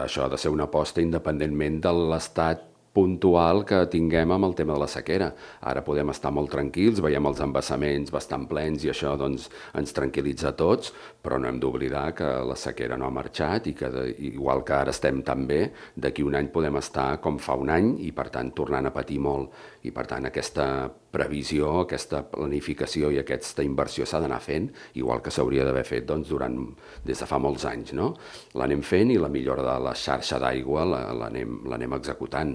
Això ha de ser una aposta independentment de l'estat puntual que tinguem amb el tema de la sequera. Ara podem estar molt tranquils, veiem els embassaments bastant plens i això doncs, ens tranquil·litza a tots, però no hem d'oblidar que la sequera no ha marxat i que igual que ara estem tan bé, d'aquí un any podem estar com fa un any i per tant tornant a patir molt. I per tant aquesta previsió, aquesta planificació i aquesta inversió s'ha d'anar fent, igual que s'hauria d'haver fet doncs, des de fa molts anys. No? L'anem fent i la millora de la xarxa d'aigua l'anem executant.